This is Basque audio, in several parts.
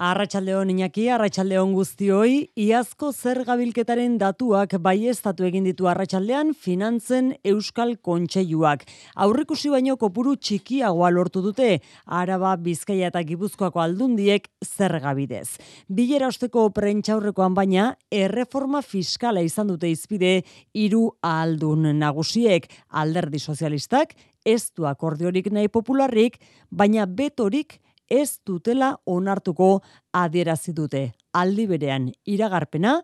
Arratsaldeon Iñaki, arratsaldeon guztioi, iazko zergabilketaren datuak baieztatu egin ditu arratsaldean Finantzen Euskal Kontseiluak. Aurrikusi baino kopuru txikiagoa lortu dute Araba, Bizkaia eta Gipuzkoako aldundiek zerga bidez. Bilera osteko prentsaurrekoan baina erreforma fiskala izan dute hizpide hiru ahaldun nagusiek, Alderdi Sozialistak, ez du akordiorik nahi popularrik, baina betorik ez dutela onartuko adierazi dute. Aldi berean iragarpena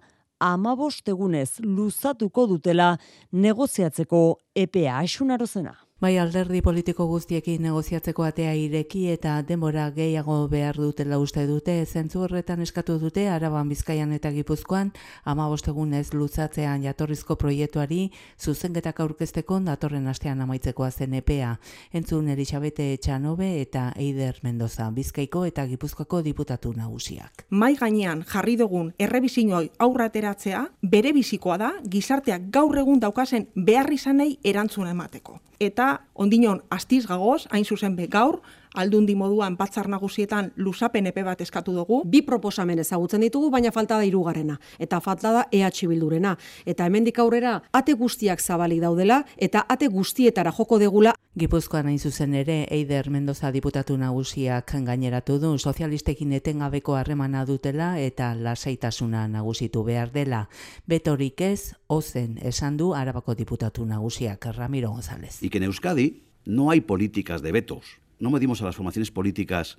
15 egunez luzatuko dutela negoziatzeko epea. Asun Arozena. Bai, alderdi politiko guztiekin negoziatzeko atea ireki eta denbora gehiago behar dutela uste dute, zentzu horretan eskatu dute Araban, Bizkaian eta Gipuzkoan 15 egunez luzatzean jatorrizko proiektuari zuzenketak aurkezteko datorren astean amaitzeko zen epea. Entzun Elisabete Etxanobe eta Eider Mendoza, Bizkaiko eta Gipuzkoako diputatu nagusiak. Mai gainean jarri dugun errebisinoi aurra ateratzea bere bizikoa da gizarteak gaur egun daukazen beharrizanei erantzuna emateko. Eta ondinon astiz gagoz, hain zuzen be gaur, aldundi moduan batzar nagusietan luzapen epe bat eskatu dugu. Bi proposamen ezagutzen ditugu, baina falta da hirugarrena. Eta falta da EH Bildurena. Eta hemendik aurrera ate guztiak zabalik daudela eta ate guztietara joko degula. Gipuzkoan hain zuzen ere, Eider Mendoza diputatu nagusiak gaineratu du, sozialistekin etengabeko harremana dutela eta lasaitasuna nagusitu behar dela. Betorik ez, ozen esan du Arabako diputatu nagusiak, Ramiro González. Y que en Euskadi no hay políticas de vetos. No medimos a las formaciones políticas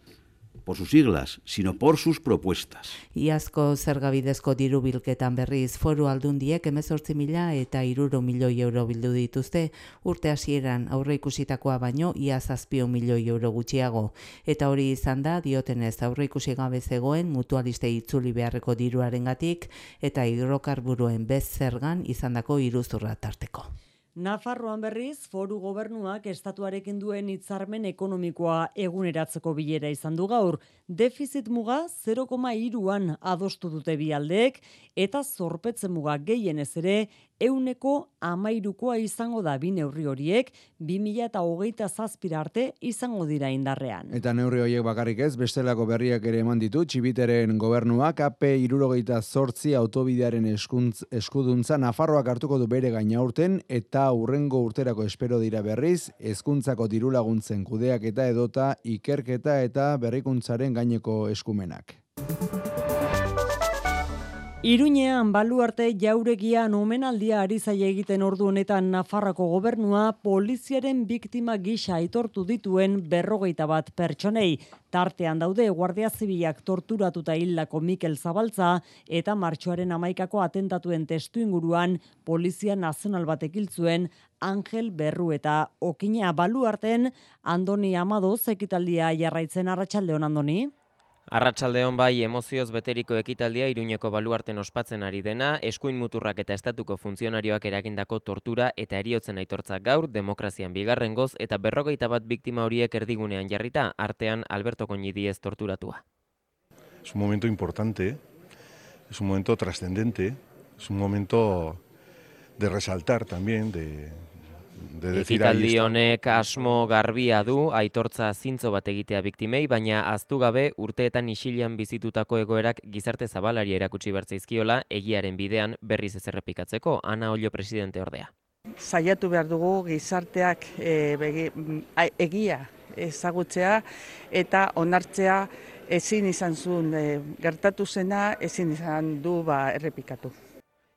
por sus siglas, sino por sus propuestas. Iazko zergabidezko diru bilketan berriz foru aldundiek 18.000 eta 300 milioi euro bildu dituzte, urte hasieran aurre ikusitakoa baino ia 7 milioi euro gutxiago. Eta hori izan da, diotenez aurre ikusi gabe zegoen mutualiste itzuli beharreko diruarengatik eta hidrokarburoen bez zergan izandako iruzurra tarteko. Nafarroan berriz, foru gobernuak estatuarekin duen hitzarmen ekonomikoa eguneratzeko bilera izan du gaur. Defizit muga 0,3an adostu dute bi aldeek eta zorpetze muga gehienez ere 13%koa izango da bi neurri horiek 2027 arte izango dira indarrean. Eta neurri horiek bakarrik ez, bestelako berriak ere eman ditu, Txibiteren gobernuak AP 78 autobidearen eskuduntza Nafarroak hartuko du bere gaina urten eta hurrengo urterako espero dira berriz, hezkuntzako dirulaguntzen kudeaketa edota ikerketa eta berrikuntzaren gaineko eskumenak. Iruñean baluarte jauregian omenaldia ari zaie egiten ordu honetan Nafarroko gobernua poliziaren biktima gisa aitortu dituen 51 pertsonei. Tartean daude Guardia Zibilak torturatuta hildako Mikel Zabaltza eta martxoaren 11ko atentatuen testuinguruan Polizia Nazional batek hil zuen Angel Berru eta Okina. Baluarten Andoni Amadoz ekitaldia jarraitzen. Arratsaldeon, Andoni. Arratsaldeon bai, emozioz beteriko ekitaldia Iruñeko baluarten ospatzen ari dena, eskuin muturrak eta estatuko funtzionarioak eragindako tortura eta heriotzen aitortza gaur, demokrazian bigarrengoz eta 51 biktima horiek erdigunean jarrita, artean Alberto Koñidiez torturatua. Es un momento importante, es un momento trascendente, es un momento de resaltar también, de ekitaldi honek asmo garbia du, aitortza zintzo bat egitea biktimei, baina ahaztu gabe urteetan isilean bizitutako egoerak gizarte zabalari erakutsi bertzaizkiola egiaren bidean berriz ez errepikatzeko. Ana Ollo presidente ordea. Saiatu behar dugu gizarteak egia ezagutzea eta onartzea ezin izan zuen gertatu zena, ezin izan du errepikatu.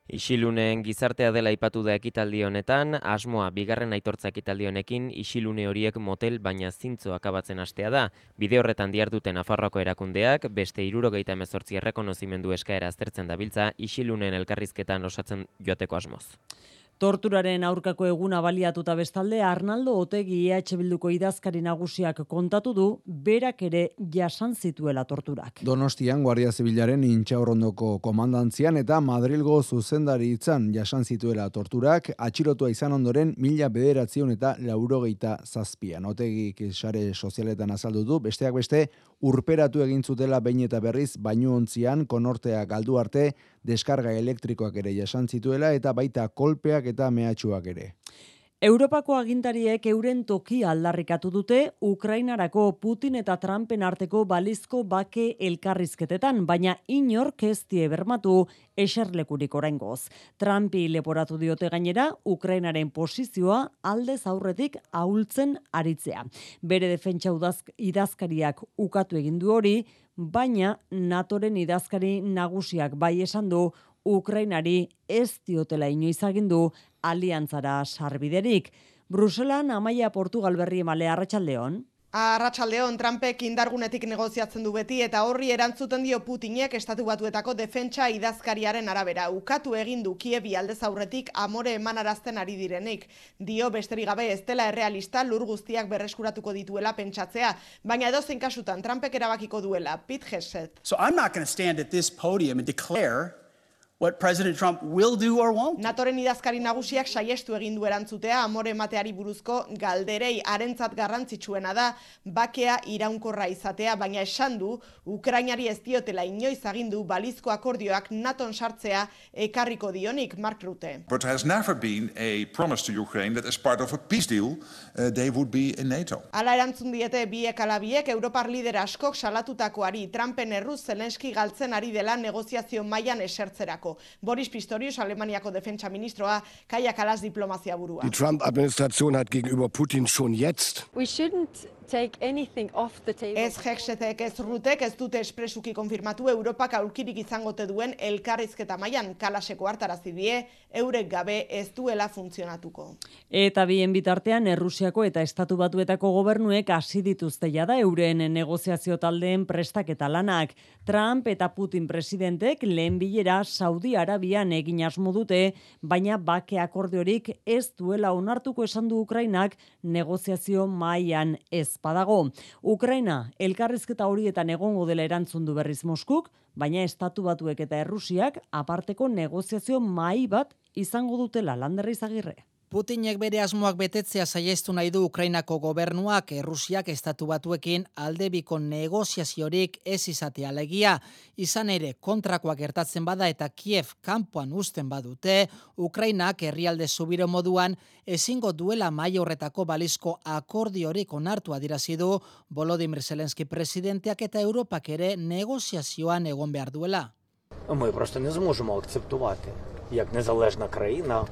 Isilunen gizartea dela aipatu da ekitaldi honetan, asmoa bigarren aitortza ekitaldi honekin isilune horiek motel baina zintzo akabatzen hastea da. Bide horretan diharduten Nafarroako erakundeak, beste 78 errekonozimendu eskaera aztertzen dabiltza isilunen elkarrizketan osatzen joateko asmoz. Torturaren aurkako eguna baliatuta bestalde, Arnaldo Otegi EH Bilduko idazkari nagusiak kontatu du, berak ere jasan zituela torturak. Donostian Guardia Zibilaren Intxaurrondoko komandantzian eta Madrilgo zuzendaritzan jasan zituela torturak, atxilotua izan ondoren 1987an. Otegik sare sozialetan azaldu du, besteak beste, urperatu egin zutela behin eta berriz bainuontzian konortea galdu arte, deskarga elektrikoak ere jasan zituela eta baita kolpeak eta mehatxuak ere. Europako agintariek euren tokia aldarrikatu dute Ukrainarako Putin eta Trumpen arteko balizko bake elkarrizketetan, baina inork ez die bermatu eserlekurik oraingoz. Trumpi leporatu diote gainera Ukrainaren posizioa aldez aurretik ahultzen aritzea. Bere defentsa idazkariak ukatu egin du hori, baina NATOren idazkari nagusiak bai esan du Ukrainari ez diotela inoiz agindu aliantzara sarbiderik. Bruselan Amaia Portugal berri emale arratsaldeon. Arratsaldeon, Trumpek indargunetik negoziatzen du beti eta horri erantzuten dio Putinek Estatu Batuetako defentsa idazkariaren arabera. Ukatu egin du Kievi aldez aurretik amore emanarazten ari direnik. Dio besterik gabe ez dela errealista lur guztiak berreskuratuko dituela pentsatzea, baina edozein kasutan Trumpek erabakiko duela. Pete Hegseth. So I'm not going to stand at this podium and declare what President Trump will do or won't. NATOren idazkari nagusiak saiestu egin du erantzutea amore emateari buruzko galderei harentzat garrantzitsuena da bakea iraunkorra izatea, baina esan du Ukrainari ez diotela inoiz agindu balizko akordioak NATOn sartzea ekarriko dionik. Mark Rutte. But there has never been a promise to Ukraine that as part of a peace deal they would be in NATO. Hala erantzun diete biek ala biek Europar lider askok salatutakoari Trumpen erruz Zelenski galtzen ari dela negoziazio mailan esertzerako. Boris Pistorius, Alemaniako defentsa ministroa, Kaja Kallas diplomazia burua. Die Trump-Administration hat gegenüber Putin schon jetzt. We shouldn't take anything off the table. Ez Hegsethek ez Rutek ez dute espresuki konfirmatu Europak aurkirik izangote duen elkarrizketa mailan. Kallaseko hartarazi die eurek gabe ez duela funtzionatuko. Eta bien bitartean Errusiako eta Estatu Batuetako gobernuek hasi dituzte jada euren negoziazio taldeen prestaketa lanak. Trump eta Putin presidentek lehen bilera Saudi Arabian egin asmo dute, baina bake akordiorik ez duela onartuko esan du Ukrainak negoziazio mahaian ez badago. Ukraina elkarrizketa horietan egongo dela erantzun du berriz Moskuk, baina Estatu Batuek eta Errusiak aparteko negoziazio mahai bat izango dutela. Lander Izagirre. Putinek bere asmoak betetzea saiestu nahi du Ukrainako gobernuak Errusiak Estatu Batuekin aldebiko negoziaziorik ez izatea alegia. Izan ere kontrakoak gertatzen bada eta Kiev kanpoan uzten badute, Ukrainak herrialde subiro moduan ezingo duela mahai horretako balizko akordiorik onartu adierazi du Volodymyr Zelensky presidenteak eta Europak ere negoziazioan egon behar duela. Ми просто не зможемо акцептувати як незалежна країна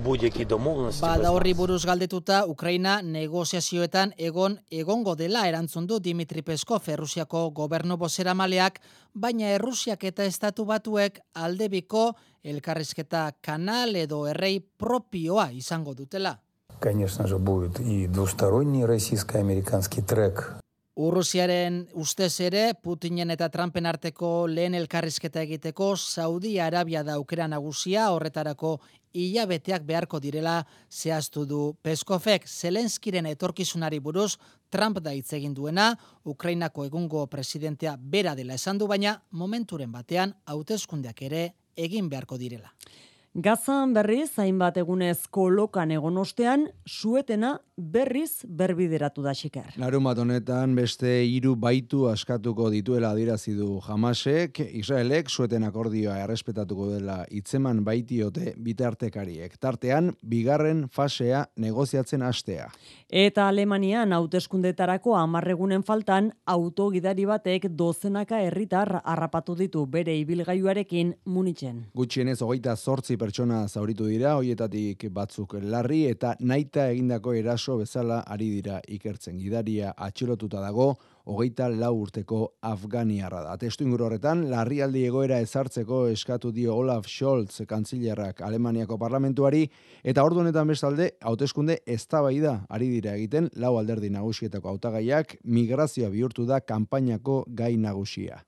будь-які домовленості. Bada horri buruz galdetuta, Ukraina negoziazioetan egongo dela erantzun du Dmitry Peskov, Errusiako gobernu bozeramaleak, baina Errusiak eta Estatu Batuek aldebiko elkarrizketa kanal edo errei propioa izango dutela. Конечно же, будет и двусторонний российско-американский трек. Urrusiaren ustez ere, Putinen eta Trumpen arteko lehen elkarrizketa egiteko Saudi Arabia da aukera nagusia, horretarako hilabeteak beharko direla zehaztu du Peskovek. Zelenskiren etorkizunari buruz Trump da hitz egin duena, Ukrainako egungo presidentea bera dela esan du, baina momenturen batean hauteskundeak ere egin beharko direla. Gazan berriz, hainbat egunez kolokan egon ostean, suetena berriz berbideratu da Xiker. Larunbat honetan beste 3 baitu askatuko dituela adierazi du Hamasek, Israelek sueten akordioa errespetatuko dela hitzeman baitiote bitartekariek. Tartean, bigarren fasea negoziatzen hastea. Eta Alemanian hauteskundetarako 10 egunen faltan, autogidari batek dozenaka herritar harrapatu ditu bere ibilgailuarekin Munitzen. Gutxienez 28 pertsona zauritu dira, hoietatik batzuk larri eta nahita egindako eraso bezala ari dira ikertzen. Gidaria atxilotuta dago, 24 urteko afganiarra da. Testuinguru horretan, larrialdi egoera ezartzeko eskatu dio Olaf Scholz kantzilerrak Alemaniako parlamentuari, eta ordu honetan bestalde, hauteskunde eztabaida ari dira egiten 4 alderdi nagusietako hautagaiak, migrazioa bihurtu da kanpainako gai nagusia.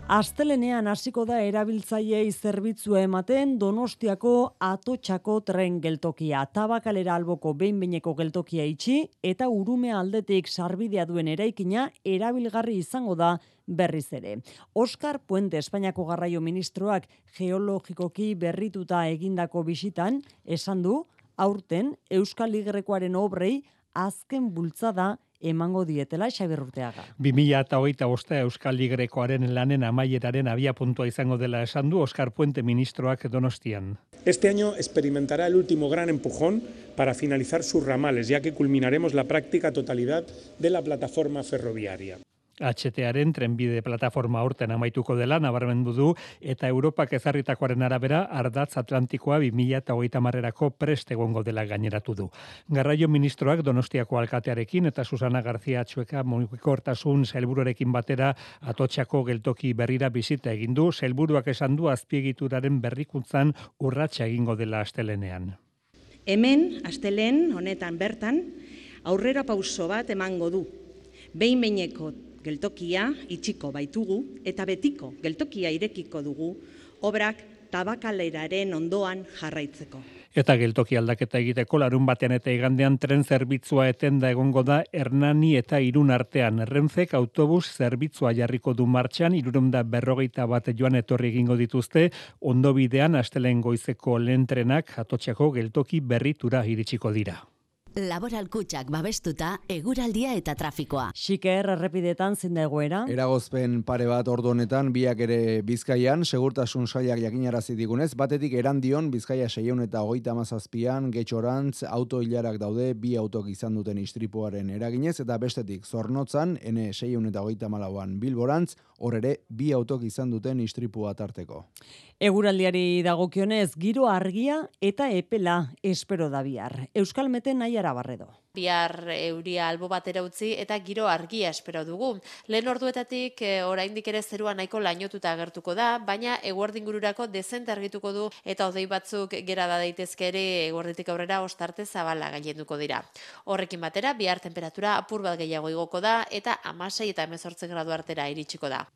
Astelenean hasiko da erabiltzaileei zerbitzua ematen Donostiako Atotxako tren geltokia. Tabakalera alboko behin-behineko geltokia itxi eta Urume aldetik sarbidea duen eraikina erabilgarri izango da berriz ere. Oskar Puente, Espainiako garraio ministroak geologikoki berrituta egindako bisitan, esan du, aurten Euskal Ligrekoaren obrei azken bultzada emango dietela Xabier Urteaga. 2025 Euskal Grekoaren lanen amaieraren abiapuntua izango dela esan du Oskar Puente ministroak Donostian. Este año experimentará el último gran empujón para finalizar sus ramales, ya que culminaremos la práctica totalidad de la plataforma ferroviaria. HTaren trenbide plataforma aurten amaituko dela nabarmendu du eta Europak ezarritakoaren arabera ardatz Atlantikoa 2030erako prest egongo dela gaineratu du. Garraio ministroak Donostiako alkatearekin eta Susana García Atxueka mugikortasun sailburuarekin batera Atotxako geltoki berrira bisita egin du, sailburuak esan du azpiegituraren berrikuntzan urratsa egingo dela astelenean. Hemen, astelehen honetan bertan, aurrera pauso bat emango du. Behin-behineko geltokia itxiko baitugu eta betiko geltokia irekiko dugu obrak Tabakaleraren ondoan jarraitzeko. Eta geltoki aldaketa egiteko larun batean eta igandean tren zerbitzua etenda egongo da Hernani eta Irun artean. Renfek autobus zerbitzua jarriko du martxan, 351 joan etorri egingo dituzte, ondo bidean astelen goizeko lehen trenak Atotxako geltoki berritura iritsiko dira. Laboral Kutxak babestuta eguraldia eta trafikoa. Xiker errepidetan zein da egoera? Eragozpen pare bat ordu honetan, biak ere Bizkaian, segurtasun sailak jakinarazi digunez, batetik Erandion, Bizkaia 657an, Getxorantz, auto hilarak daude, bi autok izan duten istripuaren eraginez, eta bestetik Zornotzan, N 634an Bilborantz, hor ere, bi autok izan duten istripua tarteko. Eguraldiari dagokionez, giro argia eta epela espero da bihar. Euskalmeten Naiara Barredo. Bihar euria albo batera utzi eta giro argia espero dugu. Lehen orduetatik oraindik ere zerua nahiko lainotuta agertuko da, baina eguerdingururako dezente argituko du eta hodei batzuk gera da daitezke ere eguerditik aurrera ostarte zabala gailenduko dira. Horrekin batera, bihar temperatura apur bat gehiago igoko da eta 16 eta 18 gradu artera iritsiko da.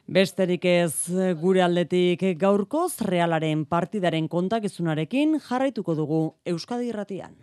Besterik ez gure aldetik gaurkoz Realaren partidaren kontakizunarekin jarraituko dugu Euskadi Irratian.